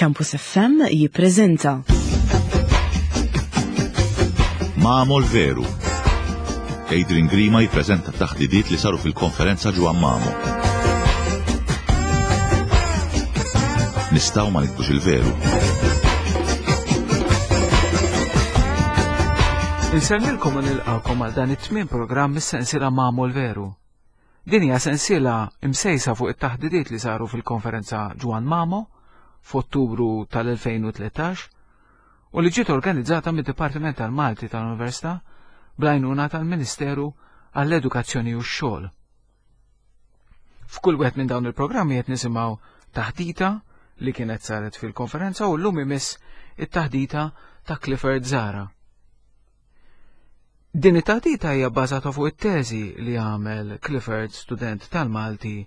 Campus FM jippreżenta. Mamo l-veru. Adrian Grima jippreżenta taħdidiet li saru fil-konferenza ġewwa Mamo. Nistgħu ma nikbux il-veru. Insellmilkom u nilqakom għal dan it-tmien programm mis-sensiela Mamo l-Veru. Din hija sensiela msejsa fuq it-taħdidiet li saru fil-konferenza Ġwann Mamo f'Ottubru tal-2013 u li ġiet organizzata mid-Dipartiment tal-Malti tal-Università bl-għajnuna tal-Ministeru għall-Edukazzjoni u x-Xogħol. F'kull wieħed minn dawn il-programmi qed nisimgħu taħdita li kienet saret fil-konferenza u llum imiss it-taħdita ta' Clifford Zara. Din it-taħdita hija bbażata fuq it-teżi li għamel Clifford student tal-Malti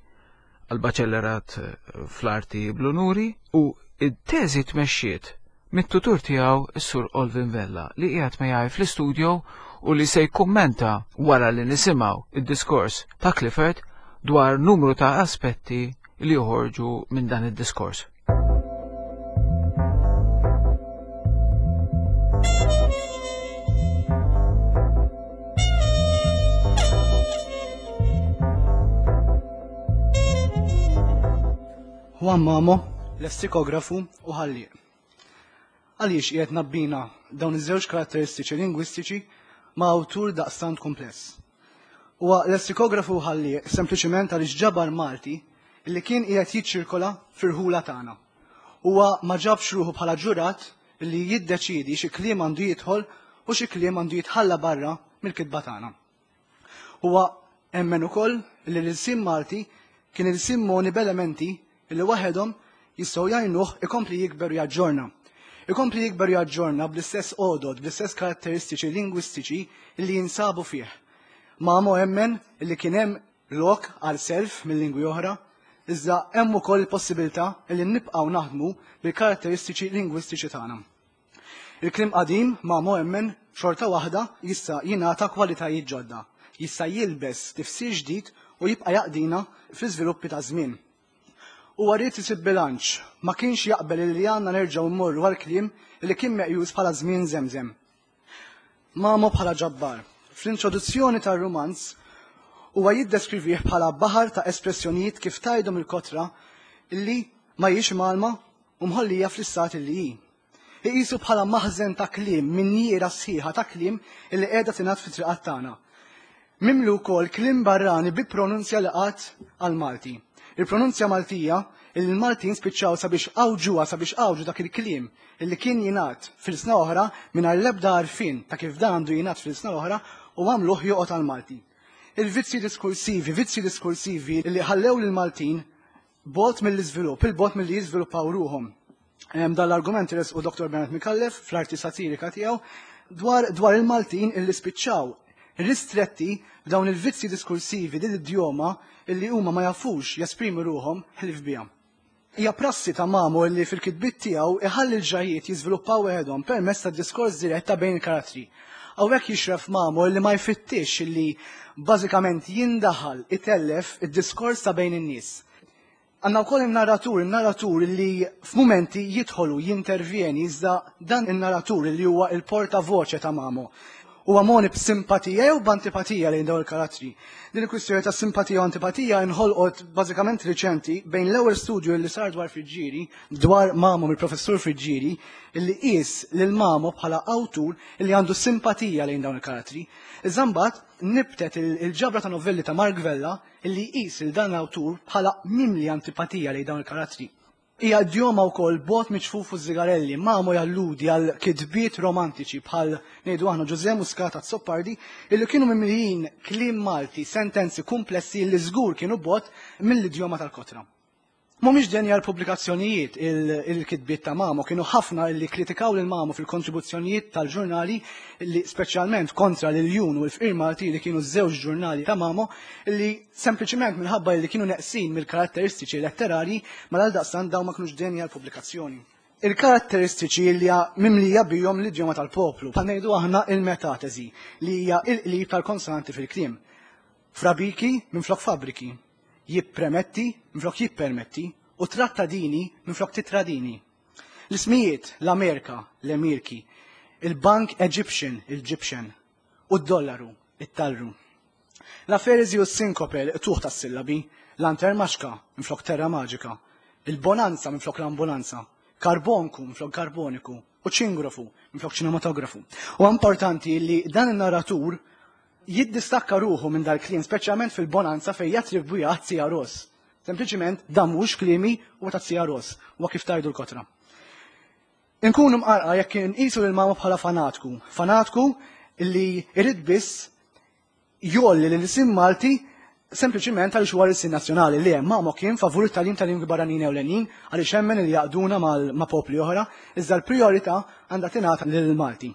għal baċellerat eh, fl-arti bl-unuri u it-teżi tmexxiet mit-tutur tiegħu s-Sur Olvin Vella li qiegħed miegħi fl-istudio u li se jkummenta wara li nisimgħu id-diskors ta' Clifford dwar numru ta' aspetti li joħorġu minn dan id-diskors. Juan Mamo, lessikografu u ħallieq. Għaliex qiegħed nabbina dawn iż-żewġ karatteristiċi lingwistiċi ma' awtur daqstant kumpless? Huwa lessikografu u ħallieq sempliċiment għaliex ġabar Malti li kien qiegħed jiċċirkola fir-rħula tagħna. Huwa ma ġabx ruħu bħala ġurat li jiddeċiedi xi kliem għandu jidħol u xi kliem għandu jitħalla barra mill-kitba tagħna. Huwa emmen ukoll li l-ilsien Malti kien ilsien moni b'elementi li waħedhom jistgħu jgħinuh ikompli jikber u jaġġorna. Ikompli jikber u jaġġorna bl-istess għodod, bl-istess karatteristiċi lingwistiċi li jinsabu fih. Mamo emmen li kien hemm lok għal self minn lingwi oħra, iżda hemm ukoll il-possibilità li nibqgħu naħdmu bil-karatteristiċi lingwistiċi tagħna. Il-kliem qadim Mamo emmen xorta waħda jista' jingħata kwalitajiet ġodda, jista' jilbes tifsir ġdid u jibqa' jaqdina fl-iżviluppi taż-żmien. Huwa ried isib bilanċ, ma kienx jaqbel illi għandna nerġgħu mmorru għall-kliem li kien meqjus bħala żmien żemżem. Mamo bħala ġabbar. Fl-introduzzjoni tar-rumanz huwa jiddeskrivih bħala baħar ta' espressjonijiet kif tgħidhom il-kotra illi ma hijiex mgħallma u mħollija fl-istat illi hi. Iqisu bħala maħżen ta' kliem, minjiera sħiħa ta' kliem illi qiegħda tingħad fit-triqat tagħna. Mimli wkoll kliem barrani bi pronunzja li qatt għall-Malti. Il-pronunzja Maltija illi l-Maltin spiċċaw sabiex għawġuha sabiex għawġu dak il-kliem illi kien jingħad f'ilsna oħra mingħajr l-ebda għarfien ta' kif dan għandu jingħad f'ilsna oħra u għamluh joqgħod għall-Malti. Il-vizzji diskursivi, vizzji diskursivi li ħallew lill-Maltin bogħod mill-iżvilupp, 'il bogħod milli jiżviluppaw ruħhom. Dan l-argument resqu Dr. Bernard Micallef fl-arti satirika tiegħu dwar dwar il-Maltin illi spiċċaw ristretti b'dawn il-vizzji diskursivi din l-idjoma illi huma ma jafux jesprimu ruħhom ħlief biha. Hija prassi ta' Mamo illi fil-kitbiet tiegħu iħalli l-ġrajjiet jiżviluppaw weħedhom permezz ta' diskors dirett ta' bejn il-karattri. Hawnhekk jixref Mamo illi ma jfittixx illi bażikament jindaħal itellef id-diskors ta' bejn in-nies. Għandna wkoll in-narratur, in-narratur li f'mumenti jidħol u jintervjeni iżda dan in-narratur li huwa il-portavoce ta' Mamo. Huwa moni b'simpatija jew b'antipatija lejn dawn il-karattri. Din il-kwistjoni ta' simpatija u antipatija inħolqot bażikament riċenti bejn l-ewwel studju li sar dwar Friggieri, dwar Mamo mill-professur Friggieri, li qies lil Mamo bħala awtur li għandu simpatija lejn dawn il-karattri. Iżda mbagħad nibtet il-ġabra ta' novelli ta' Mark Vella li jqis lil dan l-awtur bħala mimli antipatija lejn dawn il-karattri. Hija idjoma wkoll bogħod miċ-ċfuf u ż-żigarelli, Mamo jalludi għal kitbiet romantiċi bħal ngħidu aħna Ġużè Muscat Azzopardi illi kienu mimlijin kliem Malti, sentenzi kumplessi li żgur kienu bogħod mill-idjoma tal-kotra. Mhumiex denji għal pubblikazzjonijiet il-kitbiet ta' Mamo, kienu ħafna li kkritikaw lil Mamo fil-kontribuzzjonijiet tal-ġurnali li speċjalment kontra l-Iljun u l-Fqir Malti li kienu ż-żewġ ġurnali ta' Mamo li sempliċiment minħabba li kienu neqsin mill-karatteristiċi letterarji mela għaldaqstant dawn ma kinux denji għal pubblikazzjoni. Il-karatteristiċi li hija mimlija bihom l-idjoma tal-poplu, bħal ngħidu aħna il-metateżi li hija il-qlib tal-konsonanti fil-kliem. Frabiki minflok fabbriki. Jippremetti minflok jippermetti u trattadini minflok titradini. L-ismijiet, l-Amerika, l-Emirki, il-Bank Egyptian, il-Gyptian, u d-dollaru, it-talru. L-aferezi u s-sinkope, l-qtugħ tas-sillabi, l-antermaxka minflok terra maġika, il-bonanza minflok l-ambulanza, karbonku minflok karboniku, u ċingrofu minflok ċinematografu. U importanti li dan in-narratur jiddistakka ruħu minn dal-kliem, speċjalment fil-bonanza fejn jattribwiha għat-Tzija Ros. Sempliċiment dan mhux kliemi huwa tat-Tzija Ros, huwa kif tgħidu l-kotra. Inkunu mqarqa jekk inqisu lil Mamo bħala fanatku, fanatku li jrid biss jgħolli l-ilsien Malti sempliċiment għaliex huwa l-ilsien nazzjonali. Le, Mamo kien favur it-tagħlim ta' lingwi barranin ewlenin għaliex emmen li jgħaqqduna ma' popli oħra, iżda l-prijorità għandha tingħata lill-Malti.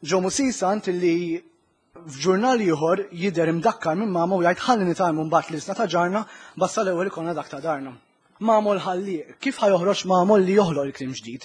Joe Musisant li f'ġurnal ieħor jidher imdakkar minn Mamo u jgħid ħalli nitgħallmu mbagħad l-ilsna ta' ġarna basta l-ewwel ikollna dak ta' darna. Mamo l-ħallieq, kif ħa joħroġ Mamo li joħloq il-kliem ġdid?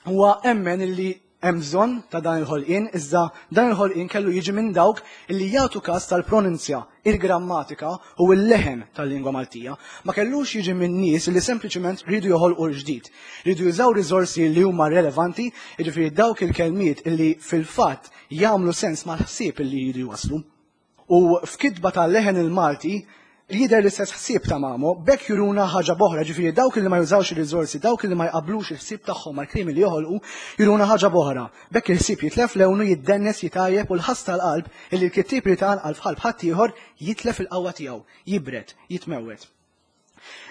Huwa emmen illi hemm bżonn ta' dan il-ħolqien, iżda dan il-ħolqien kellu jiġi minn dawk illi jagħtu kas tal-pronunzja, il-grammatika u l-leħen tal-lingwa Maltija. Ma kellux jiġi minn nies li sempliċement riedu joħolqu l-ġdid. Riedu jużaw riżorsi li huma relevanti, jiġifieri dawk il-kelmiet illi fil-fatt jagħmlu sens mal-ħsieb illi jridu jwasslu. U f'kitba ta' Leħen il-Malti jidher l-istess ħsieb ta' Mamo, b'hekk juruna ħaġa b'oħra, ġifieri dawk li ma jużawx ir-riżorsi, dawk li ma jqabblux il-ħsieb tagħhom mal-kliem li joħolqu, juruna ħaġa b'oħra. B'hekk il-ħsieb jitlef lewnu, jiddennes, jitgħajjeb u l-ħass tal-qalb illi l-kittieb irid iqanqal f'qalb ħaddieħor jitlef il-qawwa tiegħu, jibred, jitmewwet.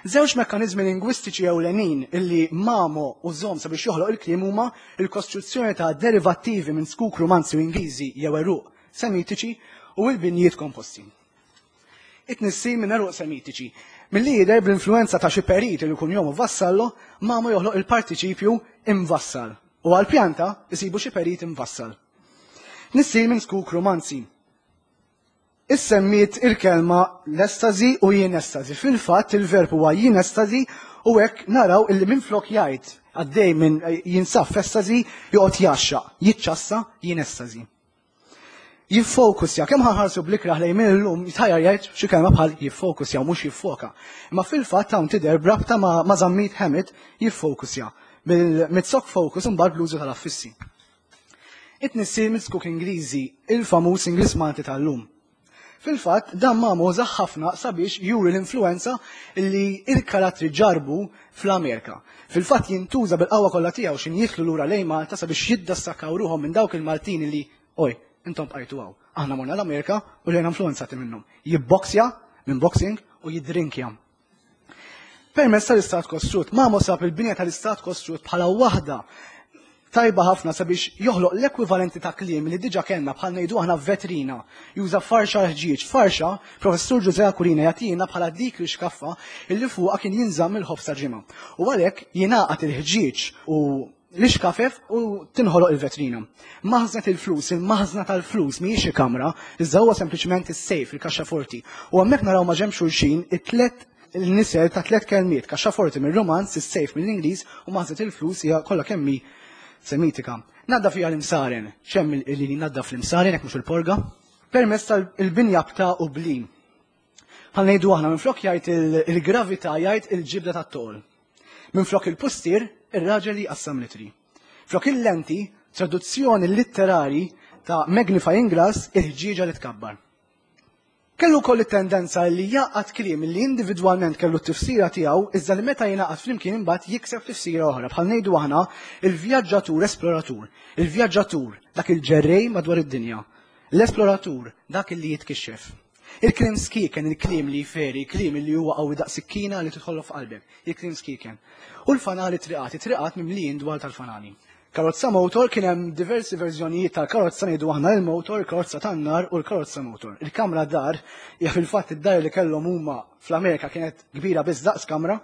Żewġ mekkaniżmi lingwistiċi ewlenin illi Mamo użhom sabiex joħloq il-kliem huma l-kostruzzjoni ta' derivattivi minn zkuk Rumanzi u Ingliżi jew għeruq Semitiċi u l-binjiet komposti. It-tnissil minn għeruq Semitiċi. Milli jidher bl-influwenza ta' xi perit li kunjomu Vassallo, Mamo joħloq il-partiċipju imvassal u għall-pjanta jsibu xi perit imvassal. Tnissil minn zkuk Rumanzi. Issemmiet il-kelma l-estasi u jien estasi. Fil-fatt il-verb huwa jien estasi u hekk naraw illi minflok jgħid għaddej minn jinsab f'estasi joqgħod jgħaxxaq, jiċċassa jien estasi. Jiffokusja, kemm ħanħarsu bl-ikrah lejn min illum jitħajjar jgħid xi kelma bħal jiffokusja u mhux jiffoka. Imma fil-fatt hawn tidher b'rabta ma' ma' Zammit Hammett jiffokusja bil-mitzok focus imbagħad bl-użu tal-affissi. It-tnissil mill-zkuk Ingliżi, il-famuż Ingliż Malti tal-lum. Fil-fatt, dan Mamo użah ħafna sabiex juri l-influwenza li l-karattri ġarrbu fl-Amerika. Fil-fatt jintuża bil-qawwa kollha tiegħu x'in jidħlu lura lejn Malta sabiex jiddistakkaw ruħhom minn dawk il-Maltin li, oj, intom bqajtu hawn, aħna morna l-Amerika u ġejna influwenzati minnhom. Jibboksja minn boxing u jiddrinkja. Permezz tal-istat kostrut, Mamo sab il-binja tal-istat kostrut bħala waħda tajba ħafna sabiex joħloq l-ekwivalenti ta' kliem li diġa kellna bħal ngħidu aħna vetrina. Juża farxa l-ħġieġ. Farxa, Professur Ġużè Aquilina jagħtina bħala dik li xkaffa illi fuqha kien jinżamm il-ħobż ta' ġimgħa. U għalhekk jingħaqad il-ħġieġ u l-ixkafef u tinħoloq il-vetrina. Maħżnet il-flus, il-maħżna tal-flus mhijiex xi kamra, iżda huwa sempliċement is-sejf, il-kaxxaforti. U hemmhekk naraw ma' ġenb xulxin it-tlet il-nisel ta' tlet kelmiet, kaxxaforti mir-Romanz, is-sejf mill-Ingliż u maħżnet il-flus hija kollha kemm hi Semitika. Naddaf fiha l-imsaren, x'hemm li naddaf l-imsaren jekk mhux il-porga? Permezz tal-binja b'ta' u bli. Bħal ngħidu aħna minflok jgħid il-gravità jgħid il-ġibda tat-toqol. Minflok il-pustier, ir-raġel li jqassam litri. Flok il-lenti, traduzzjoni litterari ta' magnifying glass, il-ħġieġa li tkabbar. Kellu wkoll it-tendenza li jgħaqqad kliem li individwalment kellu t-tifsira tiegħu iżda li meta jingħaqad flimkien imbagħad jikseb tifsira oħra. Bħal ngħidu aħna il-vjaġġatur esploratur, il-vjaġġatur dak il-ġerrej madwar id-dinja, l-esploratur dak li jitkixxef. Il-kliem skieken, il-kliem li jferi, il-kliem li huwa qawwi daqs sikkina li tidħollok f'qalbek, il-kliem skieken. U l-fanali triqat, it-triqat mimlijin dwal tal-fanali. Karozza motor kien hemm diversi verżjonijiet tal-karozza ngħidu aħna il-motor, il-karozza tan-nar u l-karozza motor. Il-kamra dar hija fil-fatt id-dar li kellhom huma fl-Amerika kienet kbira biss daqs kamra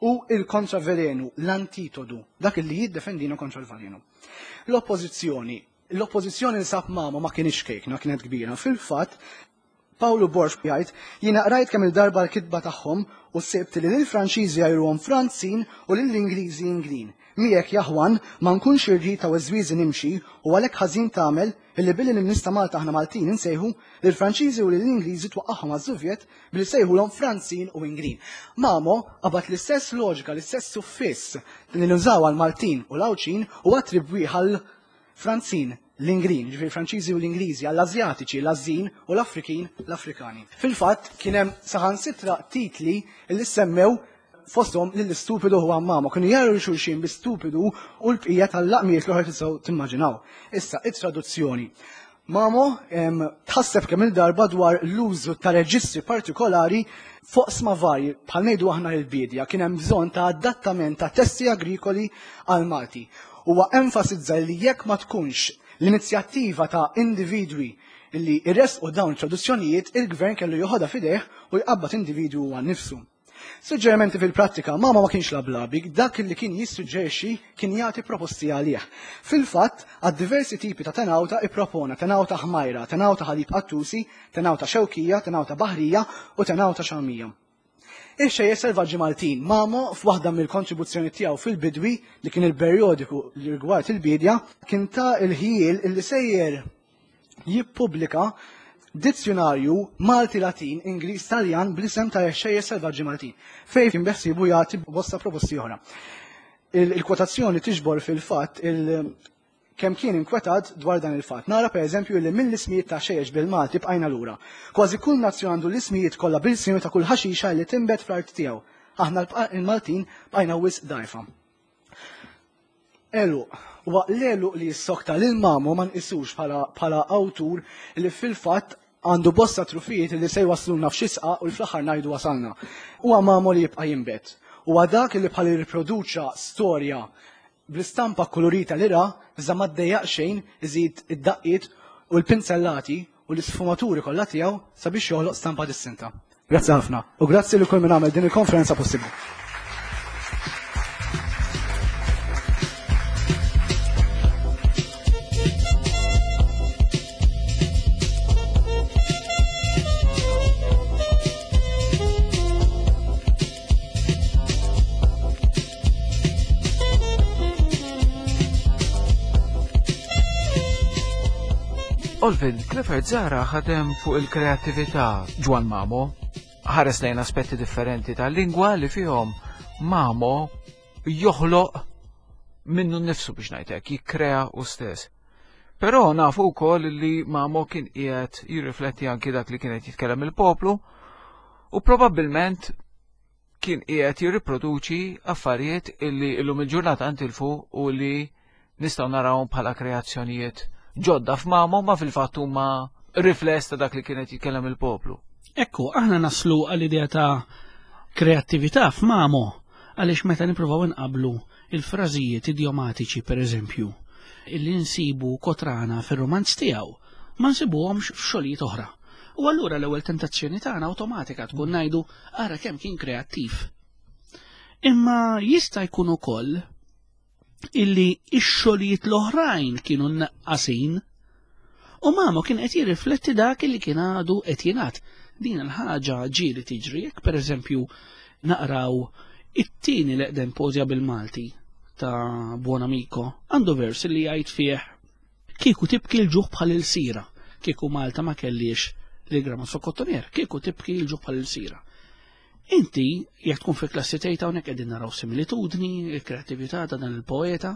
u il-kontravelenu, l-antitodu, dak li jiddefendina kontra l-valenu. L-oppożizzjoni, l-oppożizzjoni li sab mama ma kienx kejkna, kienet kbira. Fil-fatt, Pawlu Borg jgħid, jiena qrajt kemm il-darba l-kitba tagħhom u sibt li lill-Franċiżi jgħajruhom Franzin u lill-Ingliżi Inglin. Miegħek ja Juan ma nkunx irrid ta' weżwieżi nimxi u għalhekk ħażin tagħmel illi billi lin-nies ta' Malta aħna Maltin insejħu, lill-Franċiżi u lill-Ingliżi twaqqagħhom għaż-Żuvjet billi ssejħulhom Franzin u Inglin. Mamo qabad l-istess loġika, l-istess suffiss li nużaw għall-Maltin u l-Għawdxin u attribwih għall-Franzin, l-Inglin, jiġifieri Franċiżi u l-Ingliżi, għall-Asjatiċi, l-Ażin u l-Afrikin, l-Afrikani. Fil-fatt kien hemm saħansitra titli li semmew fosthom lill-istupidu Juan Mamo, kienu jgħajru lil xulxin bi stupidu u l-bqija tal-laqmijiet l-oħra tistgħu timmaġinaw. Issa, it-traduzzjoni. Mamo tħasseb kemm il-darba dwar l-użu ta' reġistri partikolari f'oqsma varji, bħal ngħidu aħna l-biedja, kien hemm bżonn ta' adattament ta' testi agrikoli għal Malti. Huwa enfasizza li jekk ma tkunx l-inizjattiva ta' individwi li jressqu dawn it-traduzzjonijiet, il-gvern kellu joħodha f'idejh u jqabbad individwu huwa nnifsu. Suġġerimenti fil-prattika, Mamo ma kienx lablabi, dak li kien jissuġġerixxi kien jagħti proposti għalih. Fil-fatt, għad-diversi tipi ta' tenawta ippropona tenawta ħmajra, tenawta ħalib qattusi, tenawta xewkija, tenawta baħrija u tenawta xamija. Ix-xejjer selvaġġi Maltin, Mamo f'waħda mill-kontribuzzjoni tiegħu fil-Bidwi li kien il-perjodiku li rigward il-biedja, kien ta il-ħjiel illi sejjer jippubblika dizzjunarju Malti-Latin, Ingliż-Taljan bl-isem ta' Xejjer Selvaġġi Maltin, fejn kien beħsiebu jagħti bosta proposti oħra. Il-kwotazzjoni tiġbor fil-fatt il kemm kien inkwetat dwar dan il-fatt. Nara pereżempju li mill-ismijiet ta' xejjex bil-Malti bqajna lura. Kważi kull nazzjon għandu l-ismijiet kollha bil-simi ta' kull ħaxixa li tinbet fl-art tiegħu. Aħna l-Maltin bqajna wisq dgħajfa. Għeluq. Huwa l-għeluq li jissokta lil Mamo ma nqisux bħala awtur li fil-fatt għandu bosta trufijiet li se jwassluna f'xi sqaq u li fl-aħħar ngħidu wasalna. Huwa Mamo li jibqa' jinbet. Huwa dak li bħal irriproduċa storja bl-istampa kkulurita li ra, iżda ma ddejjaq xejn iżid id-daqqiet u l-pinzellati u l-isfumaturi kollha tiegħu sabiex joħloq stampa distinta. Grazzi ħafna u grazzi li kull min għamel din il-konferenza possibbli. Olvin, Clifford Zara ħadem fuq il-kreattività Ġwan Mamo, ħares lejn aspetti differenti tal-lingwa li fihom Mamo joħloq minnu nnifsu biex ngħidlek, jikkrea u stess. Però nafu wkoll li Mamo kien qiegħed jirrifletti anki dak li kienet jitkellem il-poplu u probabbilment kien qiegħed jirriproduċi affarijiet illi illum il-ġurnata ntilfu u li nistgħu narawhom bħala kreazzjonijiet ġodda f'mamhom ma fil-fatt huma rifless ta' dak li kienet jitkellem il-poplu. Ekku, aħna naslu għall-idea ta' kreattività f'mamo għaliex meta nippruvaw inqablu il-frażijiet idjomatiċi pereżempju illi nsibu kotrana fir-rumanz tiegħu ma nsibuhomx f'xogħlijiet oħra. U allura l-ewwel tentazzjoni tagħna awtomatika tkun ngħidu ara kemm kien kreattiv. Imma jista' jkun ukoll illi x-xogħlijiet l-oħrajn kienu naqqasin u Mamo kien qed jirrifletti dak li kien għadu qed jingħad. Din il-ħaġa ġieli tiġri jekk pereżempju naqraw it-tieni l-eqdem poeżja bil-Malti ta' Buonamico għandu vers li jgħid fih Kieku tibki l-ġuħ bħal ilsira, kieku Malta ma kellhiex lil Gramasso Cottonier, kieku tibki l-ġuħ bħal ilsira. Inti, jekk tkun fi klassi tgħid hawnhekk qegħdin naraw similitudni, il-kreattività ta' dan il-poeta,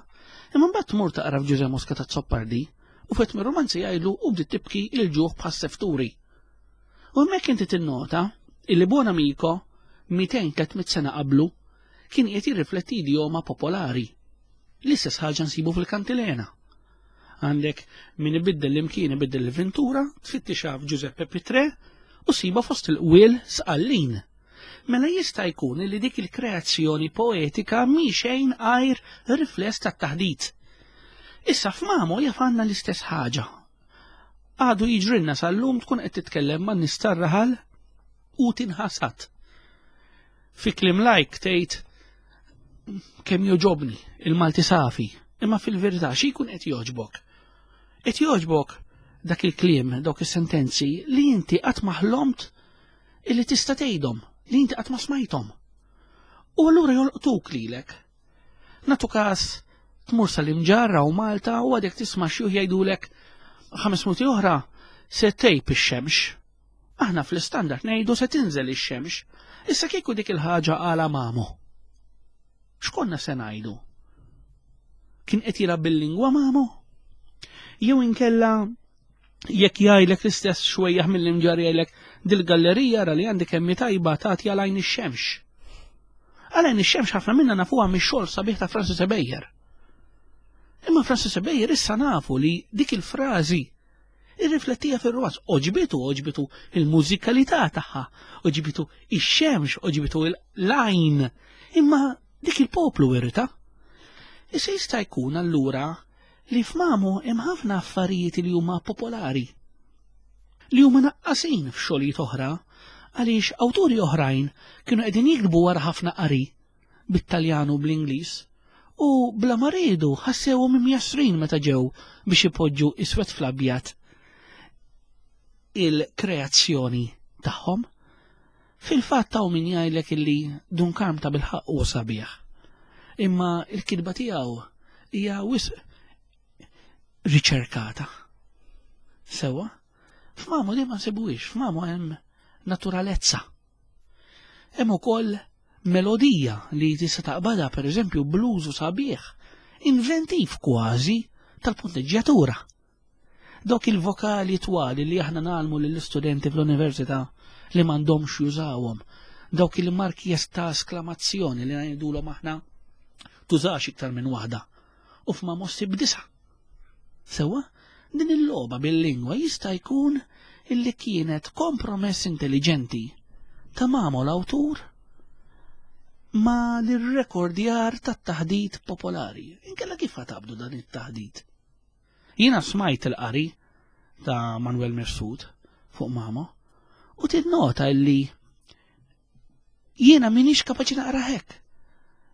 imma mbagħad tmur taqra f'Ġużè Muscat Azzopardi u fet mir-romanzi jgħidlu u bdiet tibki l-ġuħ bħas-sefturi. U hemmhekk inti tinnota illi Buonamico 200-300 sena qablu kien qiegħed jirrifletti idjoma popolari. L-istess ħaġa nsibu fil-kantilena. Għandek min ibiddel l-imkien ibiddel l-ventura, tfittixha f'Giuseppe Pitre u siba fost il-qwiel sqallin. Mela jista' jkun li dik il-kreazzjoni poetika mhi xejn għajr rifless tat-taħdit. Issa f'Mamo jaf għandna l-istess ħaġa. Għadu jiġrilna sal-lum tkun qed titkellem man nies tar-raħal u tinħasad. Fi kliem lajk tgħid kemm joġobni il-Malti safi, imma fil-verità xi jkun qed jogħġbok? Qed jogħġbok dak il-kliem, dawk is-sentenzi li inti qatt ma ħlomt illi tista' tgħidhom, li inti qatt ma smajthom. U allura jolqtuk lilek. Natu każ tmur sal-imġarra u Malta u għadek tisma' xjuħ jgħidulek ħames minuti oħra se tgħib ix-xemx. Aħna fl-istandard ngħidu se tinżel ix-xemx. Issa kieku dik il-ħaġa għala mamu. X'konna se ngħidu? Kien qed jilgħab bil-lingwa mamu? Jew inkella jekk jgħidlek l-istess xwejjaħ mill-imġar jgħidlek dil-gallerija ra li għandi kemm tajba tagħti għal għajn ix-xemx. Għal għajn ix-xemx ħafna minna nafuha mix-xogħol sabiħ ta' Francis Ebejer. Imma Francis Ebejer issa nafu li dik il-frażi irriflettija fir-romanz. Oġbitu, oġbitu il-mużikalità tagħha, oġbitu ix-xemx, oġbitu l-għajn. Imma dik il-poplu irrita. Issa jista' jkun allura li f'Mamu hemm ħafna affarijiet li huma popolari li huma naqqasin f'xogħlijiet oħra għaliex awturi oħrajn kienu qegħdin jiktbu wara ħafna qari bit-Taljan u bl-Ingliż u bla ma riedu ħassewhom imjassrin meta ġew biex ipoġġu iswed fl-abjad il-kreazzjoni tagħhom. Fil-fatt hawn min jgħidlek illi Dun Karm ta' bilħaqq huwa sabiħ. Imma l-kitba tiegħu hija wisq riċerkata. Sewwa? F'Mamu li ma nsibuhiex, f'Mamu hemm naturalezza. Hemm ukoll melodija li tista' taqbadha pereżempju bl-użu sabiħ, inventiv kważi tal-punteġġjatura. Dawk il-vokali twali li aħna nagħlmu lill-istudenti fl-università li m'għandhomx jużawhom. Dawk il-marki ta' esklamazzjoni li ngħidulhom aħna tużax iktar minn waħda. U f'ma mossi b'disa. Sewwa, din il-logħba bil-lingwa jista' jkun illi kienet kompromess intelligenti ta' Mamo l-awtur ma l-rekordjar tat-taħdit popolari. Inkella kif ħatabdu dan it-taħdit? Jiena smajt il-qari ta' Manuel Mifsud fuq Mamo u tinnota illi jiena minix kapaċi naqra hekk.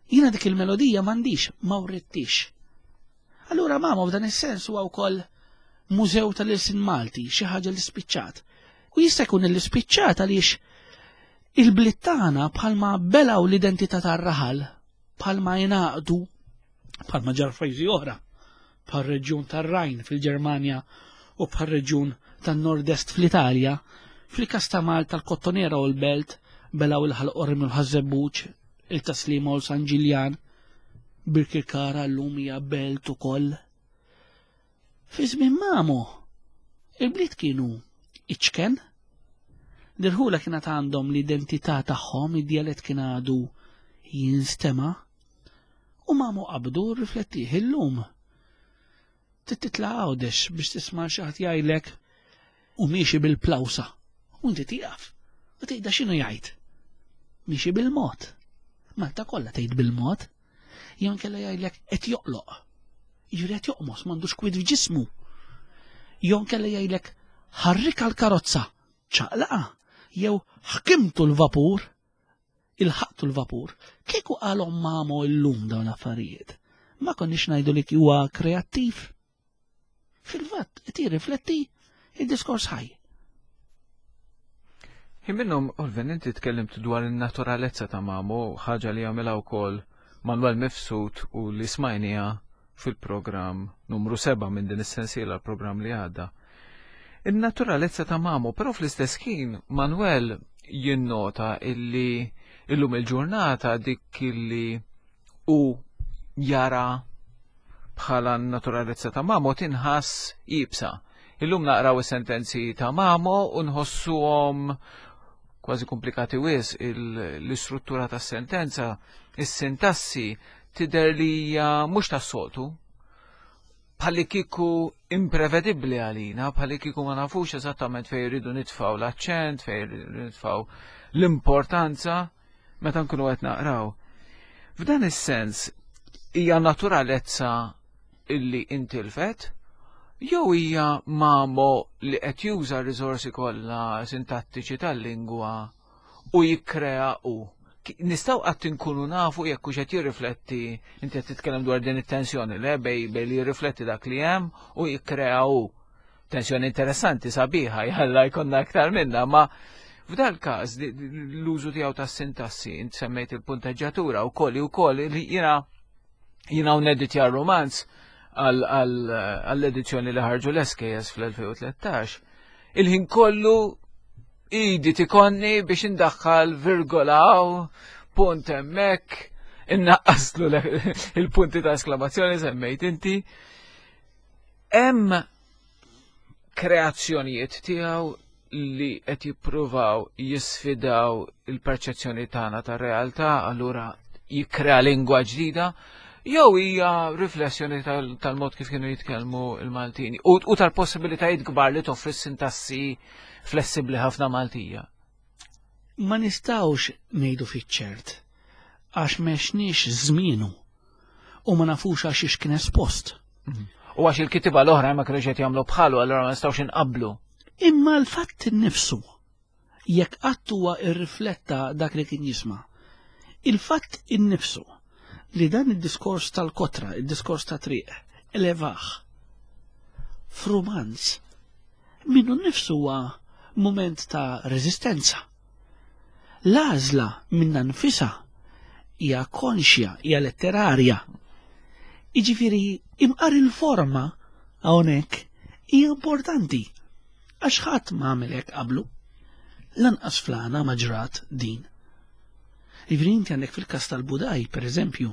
Jiena dik il-melodija m'għandix, ma writtix. Allura Mamo f'dan is-sens huwa wkoll mużew tal-ilsien Malti, xi ħaġa li spiċċat. U jista' jkun li spiċċat għaliex il-bliet tagħna bħalma belgħu l-identità tar-raħal, bħalma jingħaqdu bħalma ġar f'pajjiżi oħra, bħar-reġjun tar-Rajn fil-Ġermanja u bħar-reġjun tan-Nord-Est fl-Italja, fil-każ ta' Malta l-Kottonera u l-Belt belgħu il-Ħal Qormi u l-Ħaż-Żebbuġ, il-Taslima u l-San Ġiljan, Birkirkara llum hija belt ukoll. Fi żmien Mamo, il-bliet kienu iċken, l-irħula kienet għandhom l-identità tagħhom, id-djalett kien għadu jinstema' U Mamo qabdu rriflettih illum. Trid titla' Għawdex biex tisma' xi ħadd jgħidlek u miexi bil-plawsa. U inti tieqaf u tgħidha x'inhu jgħid. Miexi bil-mod. Malta kollha tgħid bil-mod. Jew inkella jgħidlek qed joqloq. Jiġifieri qed joqmos m'għandux kwiet f'ġismu. Jew inkella jgħidlek ħarrika l-karozza, ċaqlaqa, jew ħkimtu l-vapur, ilħaqtu l-vapur, kieku qalhom Mamo illum dawn l-affarijiet, ma konniex ngħidu li huwa kreattiv. Fil-fatt, qed jirrifletti id-diskors ħaj. Ħin minnhom, Olvin, inti tkellimt dwar in-naturalezza ta' Mamo, ħaġa li jagħmilha wkoll Manuel Mifsud u li smajniha fil-programm numru 7 minn din is-sensiela l-programm li għadda. In-naturalezza ta' Mamo, però fl-istess ħin Manuel jinnota illi illum il-ġurnata dik illi u jara bħala naturalezza ta' Mamo tinħass ibsa. Illum naqraw is-sentenzi ta' Mamo u nħossuhom kważi komplikati wis l-istruttura tas-sentenza, is-sintassi tidher li hija mhux tas-soltu, bħalli kieku imprevedibbli għalina, bħalli kieku ma nafux eżattament fejn irridu nitfgħu l-aċċent, fejn irridu nitfgħu l-importanza meta nkunu qed naqraw. F'dan is-sens hija naturalezza illi intilfet jew hija mamo li qed juża r-riżorsi kollha sintattiċi tal-lingwa u jikkrea u nistgħu qatt inkunu nafu jekk hux qed jirrifletti inti qed titkellem dwar din it-tensjoni le bej bej li jirrifletti dak li hemm u jikkrea hu. Tensjoni interessanti sabiħa, jalla jkollna aktar minna, ma f'dal każ l-użu tiegħu tas-sintassi, int semmejt il-punteġġatura wkoll ukoll li jiena jiena neditja romanz għall-edizzjoni li ħarġu l-SKS fl-2013. Il-ħin kollu idi tikonni biex indaħħal virgola punt hemmhekk, innaqqaslu il-punti ta' esklamazzjoni semmejt inti. Hemm kreazzjonijiet tiegħu li qed jippruvaw jisfidaw il-perċezzjoni tagħna tar-realtà, allura jikkrea lingwa ġdida, jew hija riflessjoni tal-mod kif kienu jitkellmu l-Maltini u tal-possibilitajiet kbar li toffri s-sintassi flessibbli ħafna Maltija. Ma nistgħux ngħidu fiċ-ċert għax m'għexniex żmienu u ma nafux għax ix kien espost. Mhm. U għax il-kitiba l-oħra ma kienux qed jagħmlu bħalu, allura ma nistgħux inqablu. Imma l-fatt innifsu jekk qatt huwa irrifletta dak li kien jisma'. Il-fatt innifsu li dan id-diskors tal-kotra, id-diskors ta' triq, elevaħ f'rumanz minnu nnifsu huwa mument ta' reżistenza. L-għażla minnha nfisha hija konxja, hija letterarja. Jiġifieri imqar il-forma hawnhekk hija importanti għax ħadd ma għamel hekk qablu. Lanqas flana ma ġrat din. Jiġifieri inti għandek fil-każ tal-Budaj, pereżempju,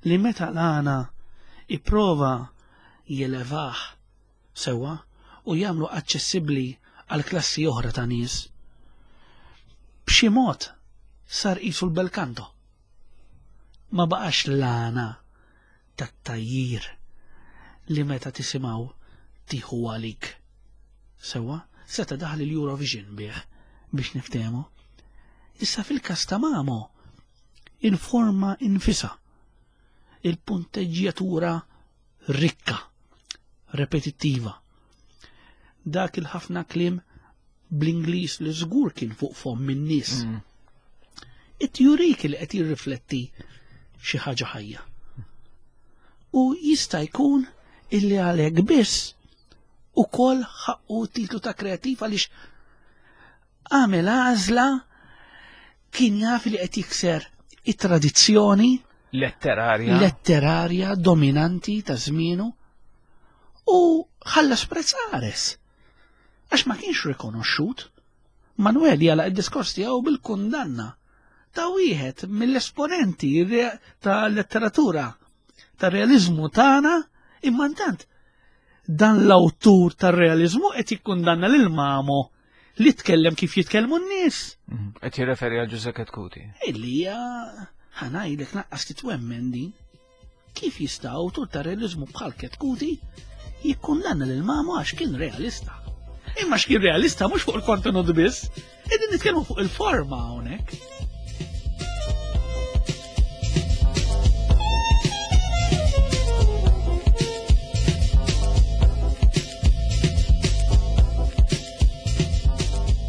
li meta l-għana ipprova jelevah sewwa u jagħmlu aċċessibbli għal klassi oħra ta' nies. B'xi mod sar qisu l-bel canto. Ma baqax l-għana tat-tgħajjir li meta tisimgħu tieħu għalik. Sewwa, seta' daħal il-Eurovision bih biex niftehmu. Issa fil-każ ta' Mamo, il-forma infisha, il-punteġġjatura rikka, repetittiva. Dak il-ħafna kliem bl-Ingliż li żgur kien fuq fomm in-nies. Mm. It jurik li qed jirrifletti xi ħaġa ħajja. U jista' jkun illi għalhekk biss ukoll ħaqqu titlu ta' kreattiv għaliex għamel għażla kien jaf li qed jikser it-tradizzjoni letterarja letterarja dominanti ta' żmienu u ħallas prezz qares għax ma kienx rikonoxxut. Manuel jala id-diskors tiegħu bil-kundanna ta' wieħed mill-esponenti ta' letteratura ta' realizmu tagħna imma intant dan l-awtur tar-realizmu qed jikkundanna lil Mamo li tkellem kif jitkellmu n-nies. Mhm. Qed jirreferi għal Ġużè Ketkuti. Illi hija ħanajdlek naqqas titwemmen din. Kif jista' awtur ta' realizmu bħal Ketkuti jikkundanna lil Mamo għax kien realista. Imma x'kien realista mhux fuq il-kontenut biss, qegħdin nitkellmu fuq il-forma hawnhekk.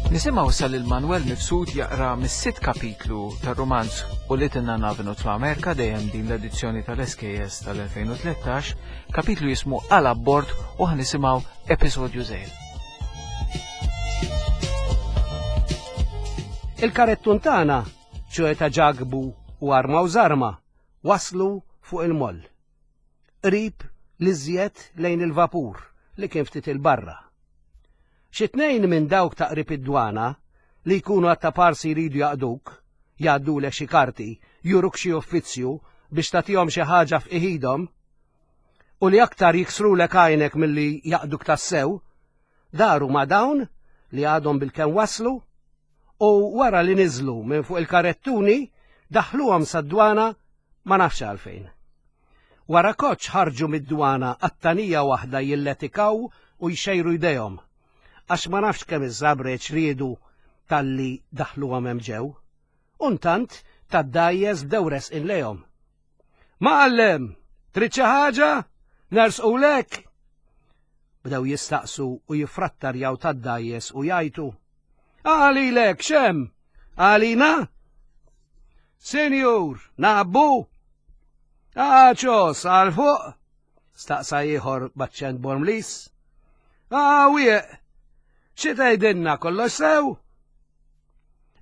Nisimgħu issa lil Manuel Mifsud jaqra mis-sitt kapitlu tar-rumanz u li tinna navinu fl-Amerika dejjem din l-edizzjoni tal-SKS tal-2013, kapitlu jismu Għal abbord u ħanisimgħu episodju żejr. Il-karettun tagħna, ċoe ta' ġagbu u arma u żarma, waslu fuq il-moll. Qrib l-iżjed lejn il-vapur li kien ftit il-barra. Xi tnejn minn dawk ta' qrib id-dwana li jkunu għat-taparsi jridu jaqduk, jgħaddulek xi karti, juruk xi uffizzju biex tagħtihom xi ħaġa f'iħidhom, u li aktar jiksrulek għajnek milli jaqduk tassew, daru ma' dawn li għadhom bilkemm waslu u wara li niżlu minn fuq il-karettuni daħluhom sad-dwana ma nafx għalfejn. Wara koċ ħarġu mid-dwana għattanija waħda jilletikaw u jxejru jdejhom, għax ma nafx kemm iż-żabreċ riedu talli daħluhom hemm ġew. U ntant tad-dgħajjes bdew resqin lejhom. Mgħallem, trid xi ħaġa? Nersqulek? Bdew jistaqsu u jiffrattarjaw tad-dgħajjes u jgħajtu. Għalilek, xem? Għalina? Sinjur, nabbu? Għaċos, għal fuq? Staqsa ieħor b'aċċent Bormlis. Ah, wieq! Xi tgħidilna kollox sew?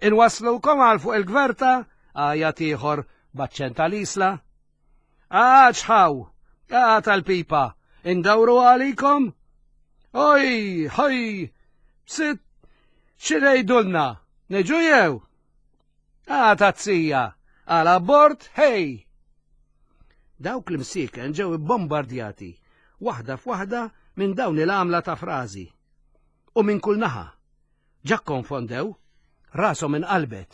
Inwasslukom għal fuq il-gverta, għajat ieħor b'aċċent tal-Isla. Ah, ċħaw! Ah, tal-pipa! Indawru għalikom? Oj, ħoj! Sit, xi ngħidulna? Niġu jew? Ah, tazzija! Għal abbord, hej! Dawk l-imsieken ġew ibbombardjati waħda f'waħda minn dawn il-għamla ta' frażi. U minn kull naħa. Ġa kkonfondew, rashom inqalbet.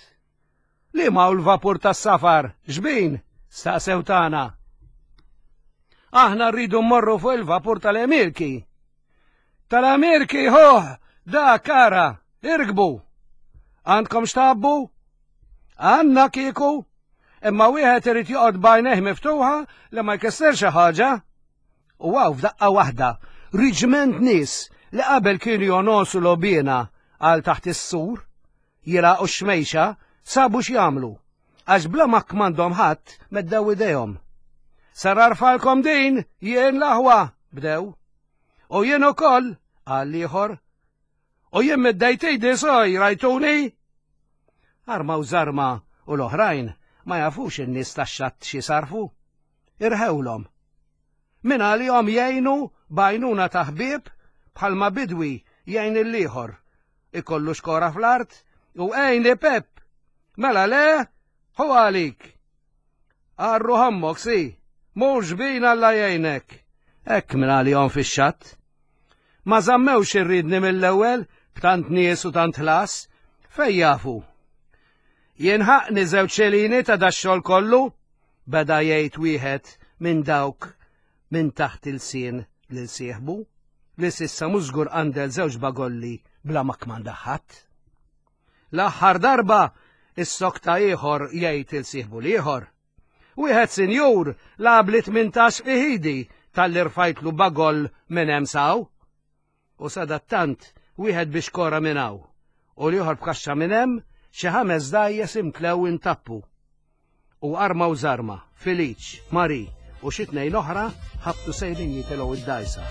Liema hu l-vapur tas-safar, xbin? staqsew tagħna. Aħna rridu mmorru fuq il-vapur tal-Emirki. Tal-Amirki, hoh, dak ara, irkbu. Għandkom x'tabbu? Għandna kieku, imma wieħed irid joqgħod b'għajnejh miftuħa li ma jkisser xi ħaġa. U għaw f'daqqa waħda, riġment nies li qabel kienu jonosu lobina għal taħt is-sur, jilgħaqu x-xmejxa, sabu x'jagħmlu. Għax bla ma kmandhom ħadd meddew idejhom. Sar arfalkom din, jien l-aħwa, bdew. U jien ukoll, qal ieħor. U jien middejt idi soj, rajtuni? Arma u żarma u l-oħrajn ma jafux in-nies tax-xatt xi sarfu. Irħewlhom. Min għalihom jgħinu b'għajnuna ta' ħbieb bħalma bidwi jgħin il-ieħor. Ikollu xkora fl-art u għejni Pep. Mela le, hu għalik. Arru ħommok, si, mhux bin Alla jgħinek. Hekk minn għalihom fix-xatt. Ma żammewx irridni mill-ewwel b'tant nies u tant ħlas, fej jafu. Jien ħaqni żewġ xelini ta' dax-xogħol kollu, beda jgħid wieħed minn dawk minn taħt il-sien lil sieħbu, li s'issa mhux żgur qandel żewġ bagolli bla ma kmanda ħadd. L-aħħar darba issokta ieħor jgħid il sieħbu l-ieħor. Wieħed sinjur lagħabli 18 fi ħidi talli rfajtlu bagoll minn hemm saw. U sadattant wieħed biex kora minn hawn u l-ieħor b'kaxxa minn hemm xi ħames dgħajjes imtlew intappu. U arma u żarma, Feliċ, Marie u xi tnejn oħra ħabtu sejrin jitilgħu id-dgħajsa.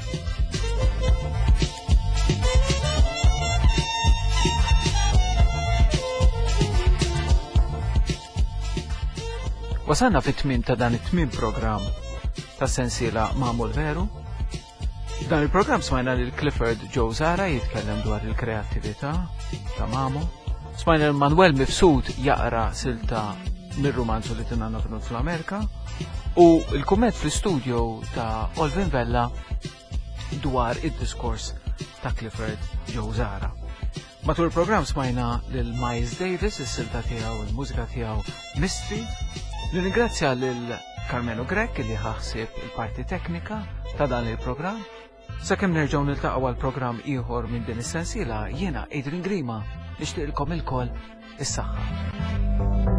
Wasalna fit-tmiem ta' dan it-tmiem programm ta' sensiela Magħmul Veru. Dan il-programm smajna lil Clifford Joe Zara jitkellem dwar il-kreattività ta' Mamo. Smajna lil Manuel Mifsud jaqra silta mir-rumanzu li tinanna Venut fl-Amerika u l-kumment fl-istudio ta' Olvin Vella dwar id-diskors ta' Clifford Joe Zara. Matul il-programm smajna lil Miles Davis, is-silta tiegħu, il-mużika tiegħu Mystery. Nirringrazzja lil Carmelo Grech li ħaħsib il-parti teknika ta' dan il-programm. Sakemm nerġgħu niltaqgħu għal programm ieħor minn din is-sensiela, jiena Adrian Grima nixtieqilkom ilkoll is-saħħa.